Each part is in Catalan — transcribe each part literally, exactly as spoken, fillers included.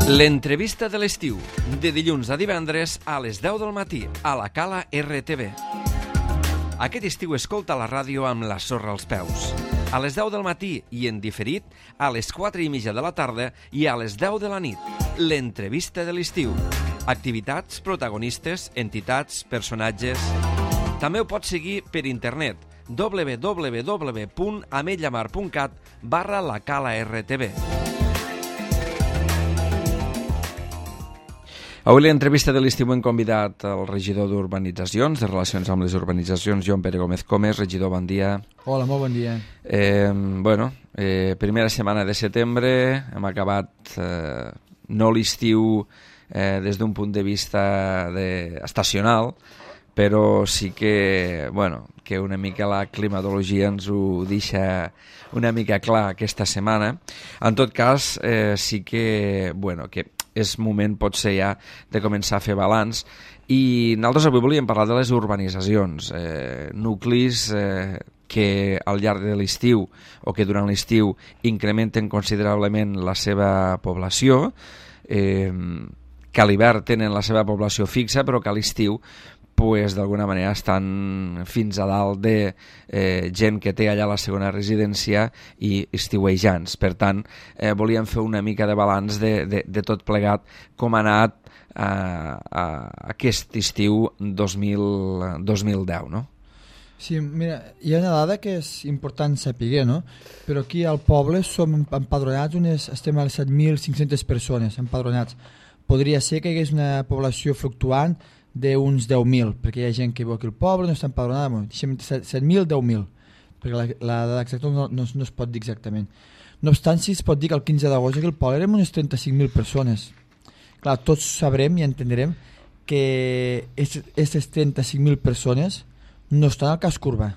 L'entrevista de l'estiu, de dilluns a divendres a les deu del matí, a la Cala R T V. Aquest estiu escolta la ràdio amb la sorra als peus. A les deu del matí i en diferit, a les quatre i mitja de la tarda i a les deu de la nit. L'entrevista de l'estiu. Activitats, protagonistes, entitats, personatges... També ho pots seguir per internet, w w w punt ametlla mar punt cat barra la Cala R T V. Avui l'entrevista de l'estiu hem convidat el regidor d'Urbanitzacions, de Relacions amb les Urbanitzacions, Joan Pere Gómez Comes. Regidor, bon dia. Hola, molt bon dia. Eh, bueno, eh, primera setmana de setembre, hem acabat eh, no l'estiu eh, des d'un punt de vista de, estacional, però sí que, bueno, que una mica la climatologia ens ho deixa una mica clar aquesta setmana. En tot cas, eh, sí que, bueno, que és moment potser ja de començar a fer balanç, i nosaltres avui volíem parlar de les urbanitzacions, eh, nuclis eh, que al llarg de l'estiu o que durant l'estiu incrementen considerablement la seva població, eh, que a l'hivern tenen la seva població fixa, però que a l'estiu pues, d'alguna manera estan fins a dalt de eh, gent que té allà la segona residència i estiuejants. Per tant, eh, volíem fer una mica de balanç de, de, de tot plegat, com ha anat eh, a aquest estiu dos mil deu, no? Sí, mira, hi ha una dada que és important saber, no? Però aquí al poble som empadronats, unes, estem a les set mil cinc-centes persones empadronats. Podria ser que hi hagués una població fluctuant d'uns deu mil, perquè hi ha gent que viu aquí al poble, no està empadronada, deixem set mil, deu mil, perquè la, la dada exacta no, no, no es pot dir exactament. No obstant, si es pot dir que el quinze d'agost aquí al poble érem unes trenta-cinc mil persones. Clar, tots sabrem i entendrem que aquestes trenta-cinc mil persones no estan al casc urbà.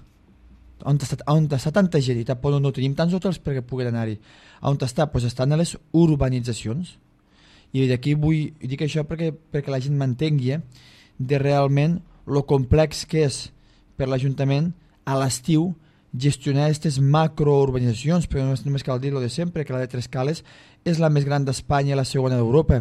On està, on està tanta gent i tampoc no tenim tants hotels perquè puguin anar-hi. On està? Pues estan a les urbanitzacions. I d'aquí vull dir això perquè, perquè la gent m'entengui, eh? de realment lo complex que és per l'Ajuntament a l'estiu gestionar aquestes macrourbanitzacions, perquè no només cal dir lo de sempre, que la de Trescales és la més gran d'Espanya i la segona d'Europa.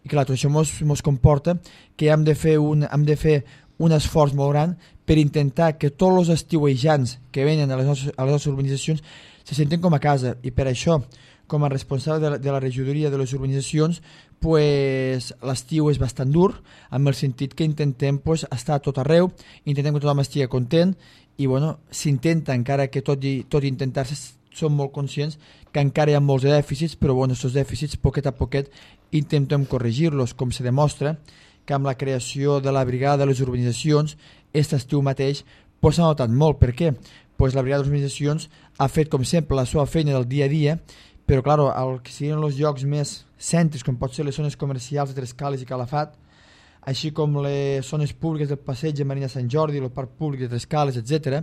I clar, tot això ens comporta que hem de, fer un, hem de fer un esforç molt gran per intentar que tots els estiuejants que venen a les nostres, a les nostres urbanitzacions se senten com a casa, i per això, com a responsable de la, de la regidoria de les urbanitzacions, pues, l'estiu és bastant dur, amb el sentit que intentem pues, estar a tot arreu, intentem que tothom estigui content, i bueno, s'intenta, encara que tot i, tot i intentar-se, som molt conscients que encara hi ha molts dèficits, però bueno, aquests dèficits, poquet a poquet, intentem corregir-los, com se demostra que amb la creació de la brigada de les urbanitzacions, aquest estiu mateix, pues, s'ha notat molt. Per què? Pues, la brigada de les urbanitzacions ha fet, com sempre, la seva feina del dia a dia, però clar, el que siguin els llocs més cèntrics, com pot ser les zones comercials de Trescales i Calafat, així com les zones públiques del Passeig de Marina Sant Jordi, el Parc Públic de Trescales, etcètera,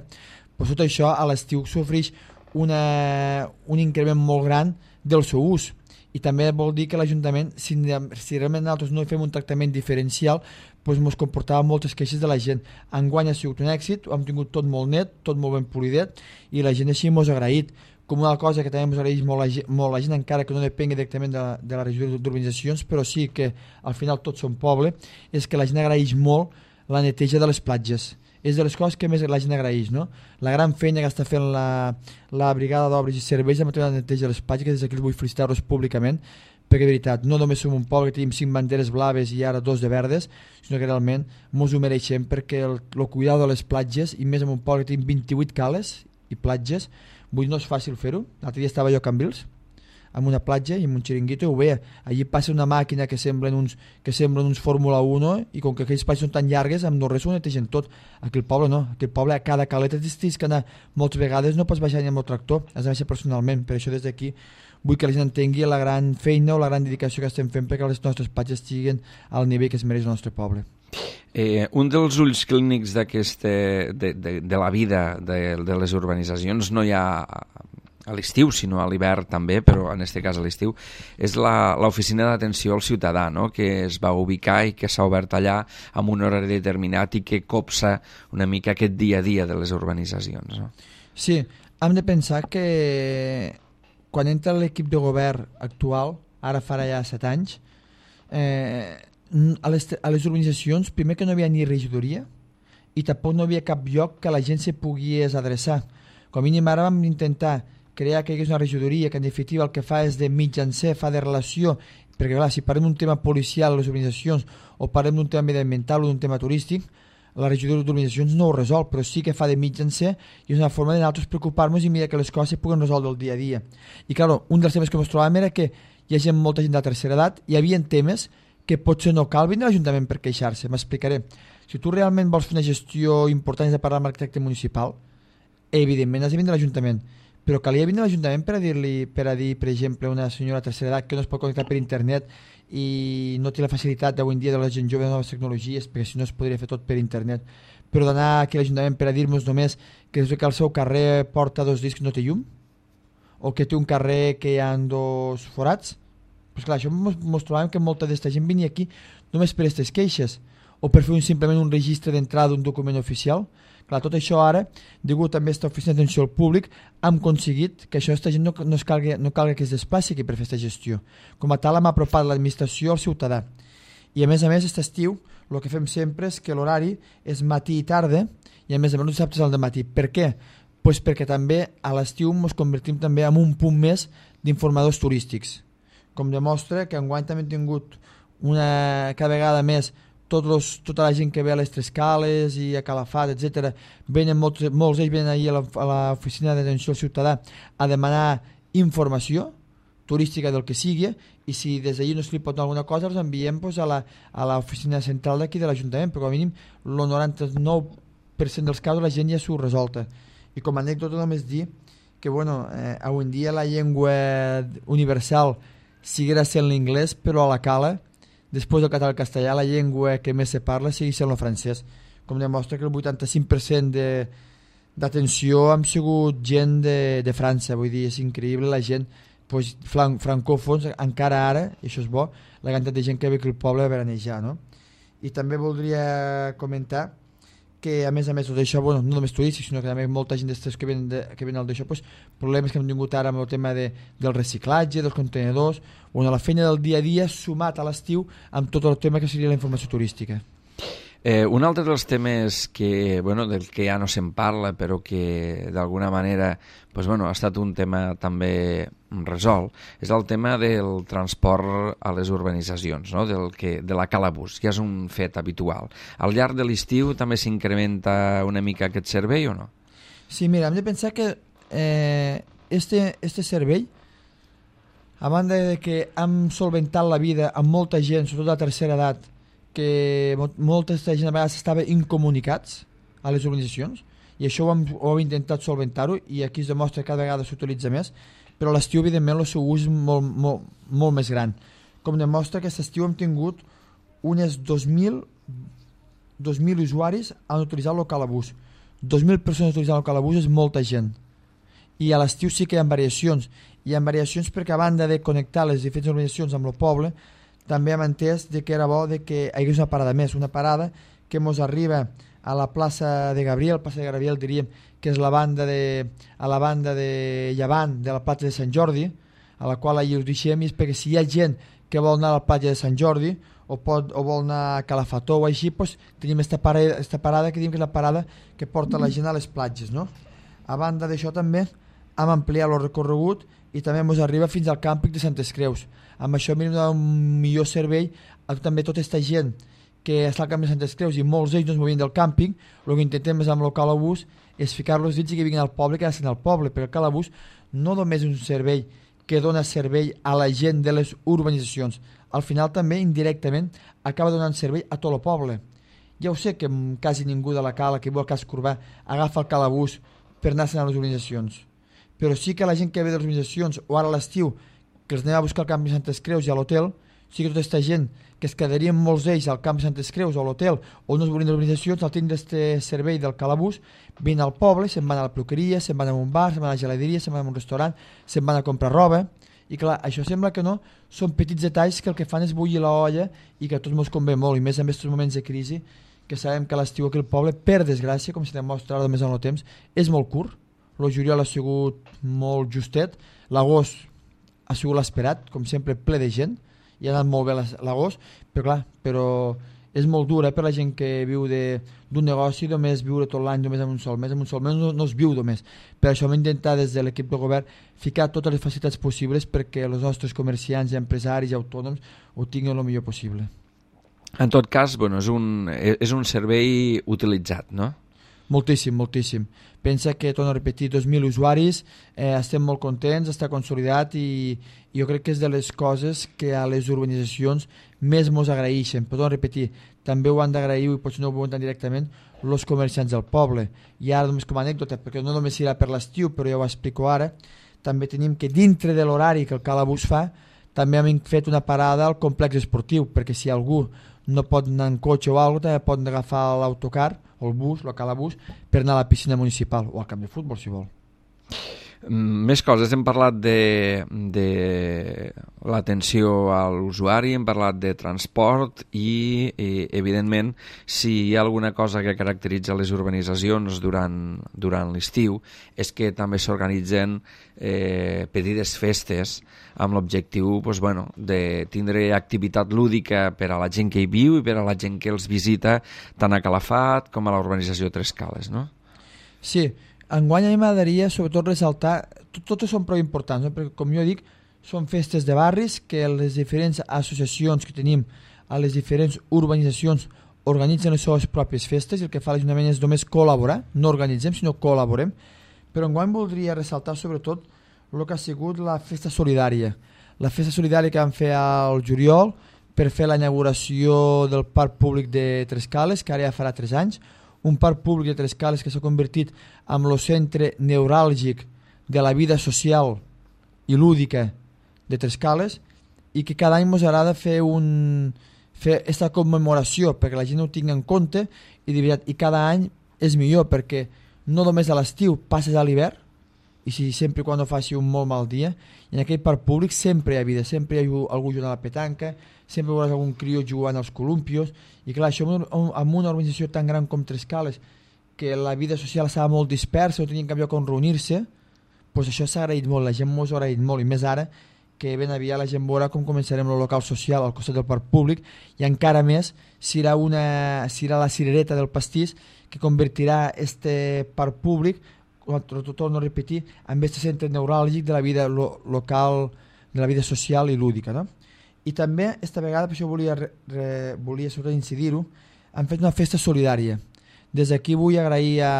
doncs tot això a l'estiu sofreix una, un increment molt gran del seu ús. I també vol dir que l'Ajuntament, si, si realment nosaltres no fem un tractament diferencial, doncs ens comportava moltes queixes de la gent. Enguany ha sigut un èxit, ho hem tingut tot molt net, tot molt ben polidet, i la gent així ens ha agraït. Com una cosa que també ens agraeix molt la, molt la gent, encara que no depengui directament de, de la regió d'urbanitzacions, però sí que al final tots som poble, és que la gent agraeix molt la neteja de les platges. És de les coses que més la gent agraeix, no? La gran feina que està fent la, la brigada d'obres i serveis en matèria de neteja de les platges, que des d'aquí vull felicitar-los públicament, perquè de veritat, no només som un poble que tenim cinc banderes blaves i ara dos de verdes, sinó que realment mos ho mereixem, perquè el, el cuidado de les platges, i més en un poble que tenim vint-i-vuit cales i platges, vull dir, no és fàcil fer-ho. L'altre dia estava jo a Cambrils, amb una platja i amb un xiringuito, i ho veia. Allí passa una màquina que semblen uns, que semblen uns Fórmula uno, i com que aquells platges són tan llargues, amb no res ho netegen tot. Aquí al poble no, aquí al poble a cada caleta tens que anar moltes vegades, no pots baixar ni amb el tractor, has de baixar personalment. Per això des d'aquí vull que la gent entengui la gran feina o la gran dedicació que estem fent perquè les nostres platges estiguin al nivell que es mereix el nostre poble. Eh, un dels ulls clínics de, de, de la vida de, de les urbanitzacions, no hi ha a l'estiu, sinó a l'hivern també, però en aquest cas a l'estiu, és l'oficina d'atenció al ciutadà, no? Que es va ubicar i que s'ha obert allà amb un horari determinat i que copsa una mica aquest dia a dia de les urbanitzacions, no? Sí, hem de pensar que quan entra l'equip de govern actual, ara farà ja set anys, eh, a, les, a les urbanitzacions, primer que no hi havia ni regidoria i tampoc no hi havia cap lloc que la gent se pogués adreçar. Com a mínim ara vam intentar crear que hi hagués una regidoria que en definitiva el que fa és de mitjancer, fa de relació, perquè clar, si parlem d'un tema policial a les urbanitzacions o parlem d'un tema mediambiental o d'un tema turístic, la regidoria d'urbanitzacions no ho resol, però sí que fa de mitjancer i és una forma de nosaltres preocupar-nos i mirar que les coses se puguen resoldre el dia a dia. I clar, un dels temes que ens trobàvem era que hi ha gent, molta gent de tercera edat, hi havia temes que potser no cal venir a l'Ajuntament per queixar-se. M'explicaré. Si tu realment vols fer una gestió important i de parlar amb l'arquitecte municipal, evidentment has de venir a l'Ajuntament, però calia venir a l'Ajuntament per a dir-li, per a dir, per exemple, una senyora de tercera edat que no es pot connectar per internet i no té la facilitat d'avui en dia de la gent jove de noves tecnologies, perquè si no es podria fer tot per internet, però d'anar aquí a l'Ajuntament per a dir-nos només que és que el seu carrer porta dos discs no té llum, o que té un carrer que hi ha dos forats, pues clar, això mos trobàvem que molta d'esta gent venia aquí només per aquestes queixes, o per fer un, simplement un registre d'entrada d'un document oficial. Clar, tot això ara, degut també a aquesta oficina d'atenció al públic, hem aconseguit que això aquesta gent no, no, es calgui, no calgui que es desplaci aquí per fer aquesta gestió. Com a tal, hem apropat l'administració al ciutadà. I a més a més, aquest estiu, el que fem sempre és que l'horari és matí i tarda, i a més a més els dissabtes al dematí. Per què? Pues perquè també a l'estiu ens convertim també en un punt més d'informadors turístics. Com demostra que enguany també hem tingut una, cada vegada més tots los, tota la gent que ve a les Tres Cales i a Calafat, etcètera, venen molts, molts d'ells venen ahir a l'oficina d'atenció al ciutadà a demanar informació turística del que sigui, i si des d'ahir no se li pot donar alguna cosa els enviem pues, a l'oficina central d'aquí de l'Ajuntament, però com a mínim el noranta-nou per cent dels casos la gent ja s'ho resolta. I com a anècdota només dir que bueno, eh, avui en dia la llengua universal seguirà sent l'inglès, però a la cala després del català i el castellà, la llengua que més se parla sigui sent el francès. Com demostra que el vuitanta-cinc per cent d'atenció han sigut gent de, de França. Vull dir, és increïble la gent, pues, fran, francòfons, encara ara, i això és bo, la quantitat de gent que ve aquí al poble a veranejar, no? I també voldria comentar que a més a més tot això, bueno, no només turístics, sinó que també molta gent d'estes que venen, de, que venen al d'això, pues, problemes que hem tingut ara amb el tema de, del reciclatge, dels contenedors, o la feina del dia a dia sumat a l'estiu amb tot el tema que seria la informació turística. Eh, un altre dels temes que, bueno, del que ja no se'n parla, però que d'alguna manera pues, bueno, ha estat un tema també resolt, és el tema del transport a les urbanitzacions, no? del que, de la calabús, que és un fet habitual. Al llarg de l'estiu també s'incrementa una mica aquest servei o no? Sí, mira, hem de pensar que eh, este, este servei, a banda de que hem solventat la vida amb molta gent, sobretot de la tercera edat, que molta gent a vegades estava incomunicats a les urbanitzacions, i això ho hem, ho hem intentat solventar-ho, i aquí es demostra que cada vegada s'utilitza més, però a l'estiu evidentment el seu ús és molt, molt, molt més gran. Com demostra que aquest estiu hem tingut unes dos mil usuaris han utilitzat el calabús. dos mil persones utilitzant el calabús és molta gent. I a l'estiu sí que hi ha variacions, hi ha variacions perquè a banda de connectar les diferents organitzacions amb el poble, també hem entès de que era bo de que hi hagués una parada més, una parada que ens arriba a la plaça de Gabriel, plaça de Gabriel diríem que és la banda de, a la banda de llevant de la platja de Sant Jordi, a la qual allà us deixem, i és perquè si hi ha gent que vol anar a la platja de Sant Jordi o, pot, o vol anar a Calafató o així, doncs tenim esta parada, esta parada que diem que és la parada que porta la gent a les platges, no? A banda d'això també hem ampliat el recorregut i també ens arriba fins al càmping de Santes Creus. Amb això hem donat un millor servei a també tota aquesta gent que està al càmping de Santes Creus i molts d'ells no es movien del càmping. El que intentem és amb el calabús és ficar-los dins i que vinguin al poble, que hagin al poble, perquè el calabús no només és un servei que dona servei a la gent de les urbanitzacions, al final també indirectament acaba donant servei a tot el poble. Ja ho sé que quasi ningú de la cala que viu al casc urbà agafa el calabús per anar-se'n a les urbanitzacions, però sí que la gent que ve de les urbanitzacions o ara a l'estiu que els anem a buscar al camp de Santes Creus i a l'hotel, sí que tota aquesta gent que es quedarien molts d'ells al camp de Santes Creus o a l'hotel o no es volien de les urbanitzacions, al tindre este servei del calabús, vinen al poble, se'n van a la peluqueria, se'n van a un bar, se'n van a la geladeria, se'n van a un restaurant, se'n van a comprar roba, i clar, això sembla que no, són petits detalls que el que fan és bullir l'olla i que a tots ens convé molt, i més en aquests moments de crisi, que sabem que l'estiu aquí al poble, per desgràcia, com se demostra ara més en el temps, és molt curt. El juliol ha sigut molt justet, l'agost ha sigut l'esperat, com sempre, ple de gent, i ha anat molt bé l'agost, però clar, però és molt dur eh, per la gent que viu d'un negoci, només viure tot l'any només en un sol mes, en un sol mes no, no es viu només. Per això hem d'intentar des de l'equip de govern ficar totes les facilitats possibles perquè els nostres comerciants, empresaris i autònoms ho tinguin el millor possible. En tot cas, bueno, és un, és un servei utilitzat, no? Moltíssim, moltíssim. Pensa que, torno a repetir, dos mil usuaris, eh, estem molt contents, està consolidat i, i jo crec que és de les coses que a les urbanitzacions més mos agraeixen. Però torno a repetir, també ho han d'agrair, i potser no ho veuen tan directament, els comerciants del poble. I ara només com a anècdota, perquè no només serà per l'estiu, però ja ho explico ara, també tenim que dintre de l'horari que el Calabús fa, també hem fet una parada al complex esportiu, perquè si algú no pot anar en cotxe o alguna cosa, també pot agafar l'autocar o el bus, el Calabús, per anar a la piscina municipal o al camp de futbol, si vol. Més coses, hem parlat de, de l'atenció a l'usuari, hem parlat de transport i, i evidentment, si hi ha alguna cosa que caracteritza les urbanitzacions durant, durant l'estiu és que també s'organitzen eh, petites festes amb l'objectiu pues, bueno, de tindre activitat lúdica per a la gent que hi viu i per a la gent que els visita tant a Calafat com a la urbanització Tres Cales, no? Sí, enguany a mi m'agradaria sobretot ressaltar, tot, totes són prou importants, no? Perquè com jo dic, són festes de barris que les diferents associacions que tenim a les diferents urbanitzacions organitzen les seves pròpies festes i el que fa l'Ajuntament és només col·laborar, no organitzem sinó col·laborem, però enguany voldria ressaltar sobretot el que ha sigut la festa solidària, la festa solidària que vam fer al juliol per fer la inauguració del Parc Públic de Tres Cales, que ara ja farà tres anys, un parc públic de Tres Cales que s'ha convertit en el centre neuràlgic de la vida social i lúdica de Tres Cales i que cada any ens agrada fer un fer aquesta commemoració perquè la gent ho tingui en compte i, de veritat, i cada any és millor perquè no només a l'estiu passes a l'hivern i si sempre quan no faci un molt mal dia i en aquell parc públic sempre hi ha vida, sempre hi ha algú jugant a la petanca, sempre veuràs algun crió jugant als columpios i clar, això amb una organització tan gran com Tres Cales que la vida social estava molt dispersa, no tenien cap lloc on reunir-se, doncs això s'ha agraït molt, la gent mos ha agraït molt i més ara que ben aviat la gent veurà com començarem el local social al costat del parc públic i encara més serà, una, serà la cirereta del pastís que convertirà este parc públic, torno a repetir, en aquest centre neuràlgic de la vida lo, local, de la vida social i lúdica, no? I també, esta vegada, per això volia, re, volia sobretot incidir-ho, han fet una festa solidària. Des d'aquí vull agrair a,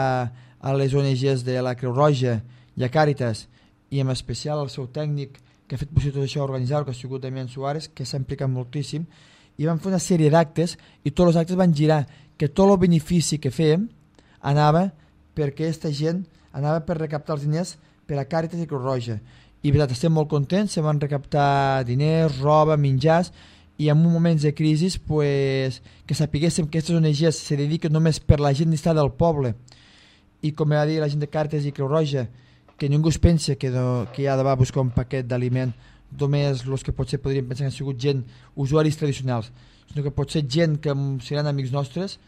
a les O N Ges de la Creu Roja i a Càritas, i en especial al seu tècnic que ha fet possible tot això organitzar, que ha sigut Damián Suárez, que s'ha implicat moltíssim, i van fer una sèrie d'actes, i tots els actes van girar, que tot el benefici que fèiem anava perquè aquesta gent anava per recaptar els diners per a Càritas i Creu Roja. I veritat, estem molt contents, se van recaptar diners, roba, menjars, i en moments de crisi pues, que sapiguéssim que aquestes O N Ges se dediquen només per la gent d'estar del poble i com va dir la gent de Càritas i Creu Roja que ningú es pensa que, no, que ha de va buscar un paquet d'aliment només els que potser podríem pensar que han sigut gent, usuaris tradicionals, sinó que potser gent que seran amics nostres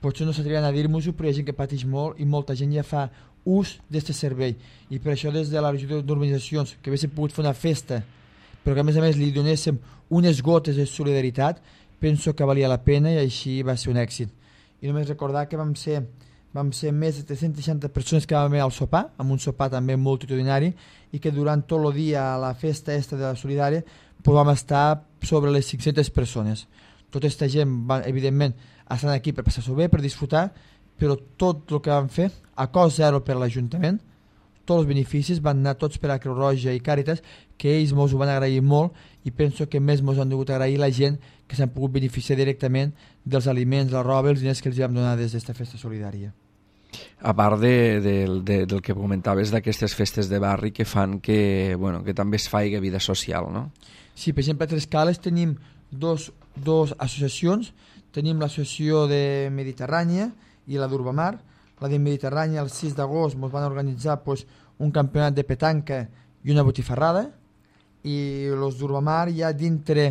potser no s'atreviran a dir-nos-ho, però hi ha gent que pateix molt i molta gent ja fa ús d'aquest servei i per això des de la regió d'urbanitzacions que haguéssim pogut fer una festa però que a més a més li donéssim unes gotes de solidaritat, penso que valia la pena i així va ser un èxit. I només recordar que vam ser, vam ser més de tres-centes seixanta persones que vam anar al sopar, amb un sopar també multitudinari i que durant tot el dia a la festa esta de la solidària pues vam estar sobre les cinc-centes persones. Tota aquesta gent, va, evidentment, estan aquí per passar-s'ho bé, per disfrutar, però tot el que vam fer, a cost zero per l'Ajuntament, tots els beneficis van anar tots per a Creu Roja i Càritas, que ells mos ho van agrair molt i penso que més mos han degut agrair la gent que s'han pogut beneficiar directament dels aliments, la roba, els diners que els vam donar des d'esta festa solidària. A part de, de, de, del que comentaves d'aquestes festes de barri que fan que, bueno, que també es faci vida social, no? Sí, per exemple, a Tres Cales tenim dos, dos associacions, tenim l'associació de Mediterrània i la d'Urbamar. La de Mediterrània el sis d'agost ens van organitzar pues, un campionat de petanca i una botifarrada i els d'Urbamar ja dintre,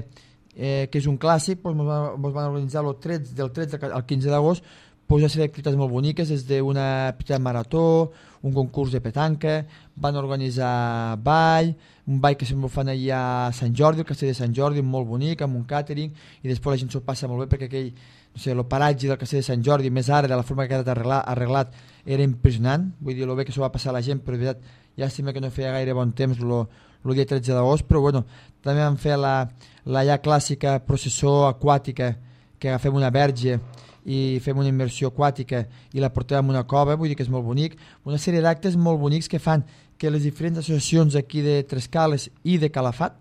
eh, que és un clàssic, pues, ens van, van organitzar el tretze, del tretze al quinze d'agost pues una sèrie d'activitats molt boniques, des d'una petita marató, un concurs de petanca, van organitzar ball, un ball que sempre fan allà a Sant Jordi, el castell de Sant Jordi, molt bonic, amb un càtering, i després la gent s'ho passa molt bé perquè aquell, no sé, el paratge del castell de Sant Jordi, més ara, de la forma que ha quedat arreglat, arreglat era impressionant, vull dir, el bé que s'ho va passar a la gent, però de veritat, llàstima que no feia gaire bon temps el dia tretze d'agost, però bueno, també vam fer la, la ja clàssica processó aquàtica, que agafem una verge i fem una immersió aquàtica i la portem a una cova, vull dir que és molt bonic, una sèrie d'actes molt bonics que fan que les diferents associacions aquí de Trescales i de Calafat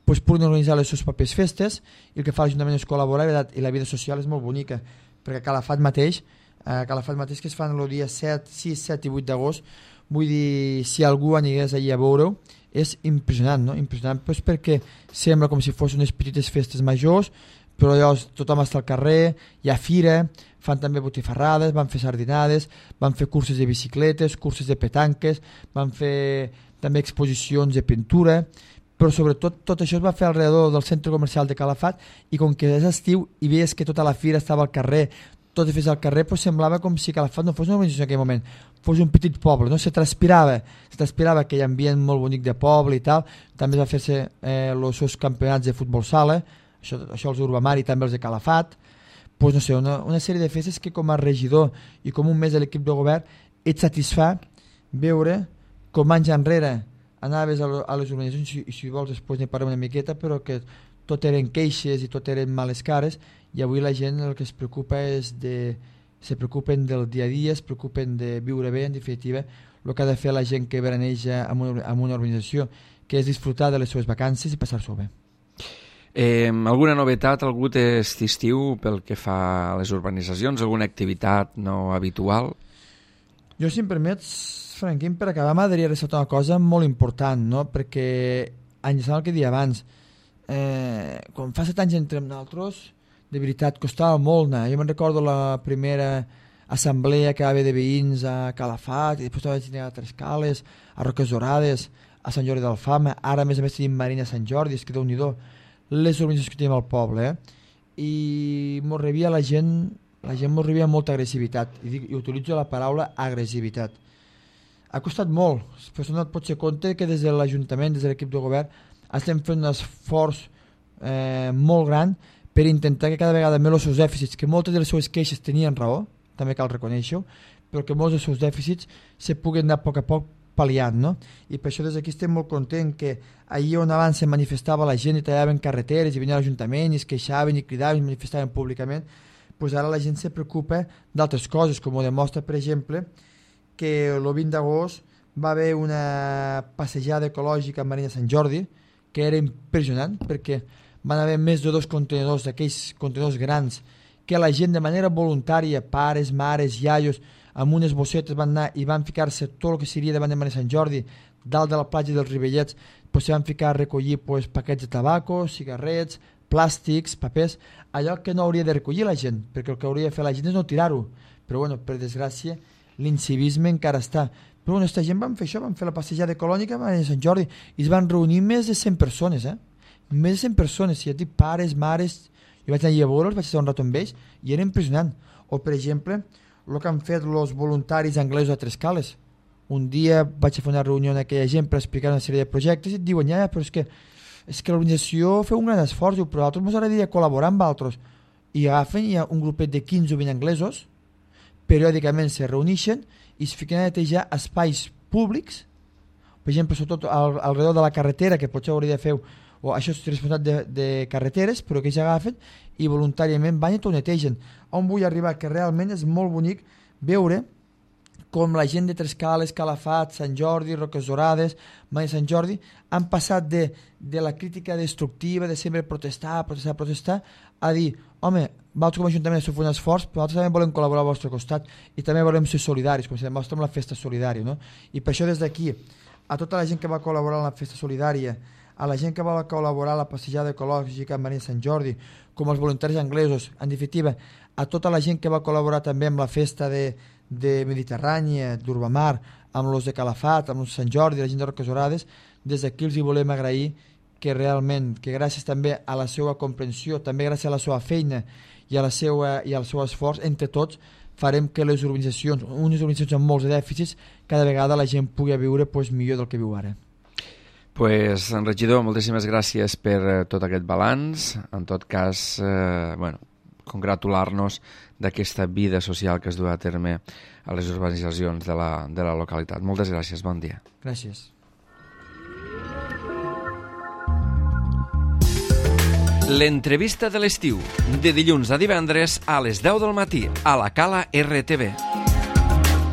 pues, puguin organitzar les seves pròpies festes, i el que fa l'Ajuntament és col·laborar, i la vida social és molt bonica, perquè a Calafat mateix, a Calafat mateix que es fan el dia set, sis, set i vuit d'agost, vull dir, si algú anigués allà a veure-ho, és impressionant, no? Impressionant pues, perquè sembla com si fos unes petites festes majors, però llavors tothom està al carrer, hi ha fira, fan també botifarrades, van fer sardinades, van fer curses de bicicletes, curses de petanques, van fer també exposicions de pintura, però sobretot tot això es va fer alrededor del centre comercial de Calafat, i com que és estiu i veies que tota la fira estava al carrer, tot fes al carrer, pues semblava com si Calafat no fos una organització en aquell moment, fos un petit poble, no? Se transpirava, se transpirava aquell ambient molt bonic de poble i tal. També es va fer-se eh, els seus campionats de futbol sala, això, això els Urbamar i també els de Calafat, pues no sé, una, una sèrie de festes que com a regidor i com un mes de l'equip de govern et satisfà veure com anys enrere anaves a, a les organitzacions, i si vols després ne parlem una miqueta, però que tot eren queixes i tot eren males cares, i avui la gent el que es preocupa és de, se preocupen del dia a dia, es preocupen de viure bé, en definitiva, el que ha de fer la gent que veraneja en una, en una organització, que és disfrutar de les seves vacances i passar-s'ho bé. Eh, alguna novetat, algú aquest estiu pel que fa a les urbanitzacions, alguna activitat no habitual? Jo, si em permets, Franquín, per acabar m'agradaria ressaltar una cosa molt important, no? Perquè, enllaçant el que deia abans, eh, quan fa set anys entre nosaltres, de veritat, costava molt anar. Jo me'n recordo la primera assemblea que va haver de veïns a Calafat, i després vaig tenir a Trescales, a Roques Dorades, a Sant Jordi d'Alfama, ara a més a més tenim Marina a Sant Jordi, és que Déu-n'hi-do, les organitzacions que tenim al poble, eh? I mos rebia la gent, la gent mos rebia molta agressivitat, i, dic, i utilitzo la paraula agressivitat. Ha costat molt, però no et pots ser compte que des de l'Ajuntament, des de l'equip de govern, estem fent un esforç eh, molt gran per intentar que cada vegada més els seus dèficits, que moltes de les seves queixes tenien raó, també cal reconèixer-ho, però que molts dels seus dèficits se puguen anar a poc a poc pal·liant, no? I per això des d'aquí estem molt contents que allà on abans se manifestava la gent i tallaven carreteres i venien a l'Ajuntament i es queixaven i cridaven i manifestaven públicament, doncs ara la gent se preocupa d'altres coses, com ho demostra, per exemple, que el vint d'agost va haver una passejada ecològica a Marina Sant Jordi, que era impressionant, perquè van haver més de dos contenidors, d'aquells contenidors grans, que la gent de manera voluntària, pares, mares, iaios, amb unes bossetes van anar i van ficar-se tot el que seria davant de Marina Sant Jordi, dalt de la platja dels Rivellets, pues, se van ficar a recollir pues, paquets de tabaco, cigarrets, plàstics, papers, allò que no hauria de recollir la gent, perquè el que hauria de fer la gent és no tirar-ho. Però bueno, per desgràcia, l'incivisme encara està. Però bueno, aquesta gent van fer això, van fer la passejada ecològica a Marina Sant Jordi i es van reunir més de cent persones, eh? Més de cent persones, si ja dic pares, mares, jo vaig anar a veure'ls, vaig estar un rato amb ells i era impressionant. O per exemple, el que han fet els voluntaris anglesos a Trescales. Un dia vaig a fer una reunió amb aquella gent per explicar una sèrie de projectes i et diuen, ja, però és que, és que l'organització feu un gran esforç, però a nosaltres ens agradaria col·laborar amb altres. I agafen, hi ha un grupet de quinze o vint anglesos, periòdicament se reuneixen i es fiquen a netejar espais públics, per exemple, sobretot al, alrededor de la carretera, que potser hauria de fer, o això és responsabilitat de, de carreteres, però que ells agafen i voluntàriament van i tot netegen. On vull arribar? Que realment és molt bonic veure com la gent de Trescales, Calafat, Sant Jordi, Roques Dorades, Marina Sant Jordi, han passat de, de la crítica destructiva, de sempre protestar, protestar, protestar, a dir, home, vosaltres com a Ajuntament esteu fent un esforç, però nosaltres també volem col·laborar al vostre costat i també volem ser solidaris, com si demostra amb la festa solidària, no? I per això des d'aquí, a tota la gent que va col·laborar en la festa solidària, a la gent que va col·laborar a la passejada ecològica a Marina Sant Jordi, com els voluntaris anglesos, en definitiva, a tota la gent que va col·laborar també amb la festa de, de Mediterrània, d'Urbamar, amb els de Calafat, amb els de Sant Jordi, la gent de Roques Orades, des d'aquí els hi volem agrair que realment, que gràcies també a la seva comprensió, també gràcies a la seva feina i, a la seva, i al seu esforç, entre tots, farem que les urbanitzacions, unes urbanitzacions amb molts dèficits, cada vegada la gent pugui viure pues, millor del que viu ara. Pues, regidor, moltíssimes gràcies per eh, tot aquest balanç. En tot cas, eh, bueno, congratular-nos d'aquesta vida social que es du a terme a les urbanitzacions de la, de la localitat. Moltes gràcies, bon dia. Gràcies. L'entrevista de l'estiu, de dilluns a divendres a les deu del matí, a la Cala R T V.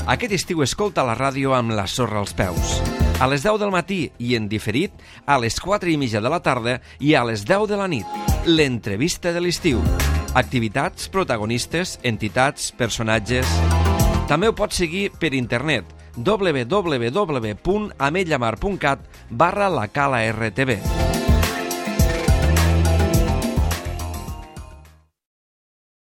Aquest estiu escolta la ràdio amb la sorra als peus. A les deu del matí i en diferit, a les quatre i mitja de la tarda i a les deu de la nit. L'entrevista de l'estiu. Activitats, protagonistes, entitats, personatges... També ho pots seguir per internet w w w punt ametlllamar punt cat barra la Cala R T V.